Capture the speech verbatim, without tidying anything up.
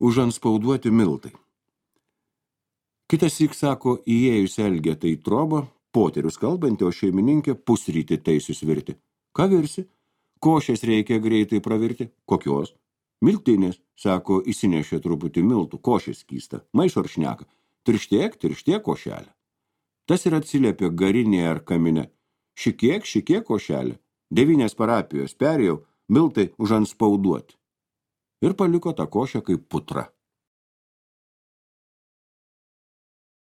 Užanspauduoti miltai. Kitas syk sako, įėjus Elgetą į trobą, poterius kalbantį, o šeimininkė pusrytį teisius virti. Ką virsi? Košės reikia greitai pravirti. Kokios? Miltinės, sako, įsinešė truputį miltų, košės skysta, maišo ar šneka. Tirštiek, tirštiek košelę. Tas ir atsiliepė garinėje ar kamine. Šikiek, šikiek košelė. Devynės parapijos perėjau, miltai užanspauduoti. Ir paliko tą košę kaip putra.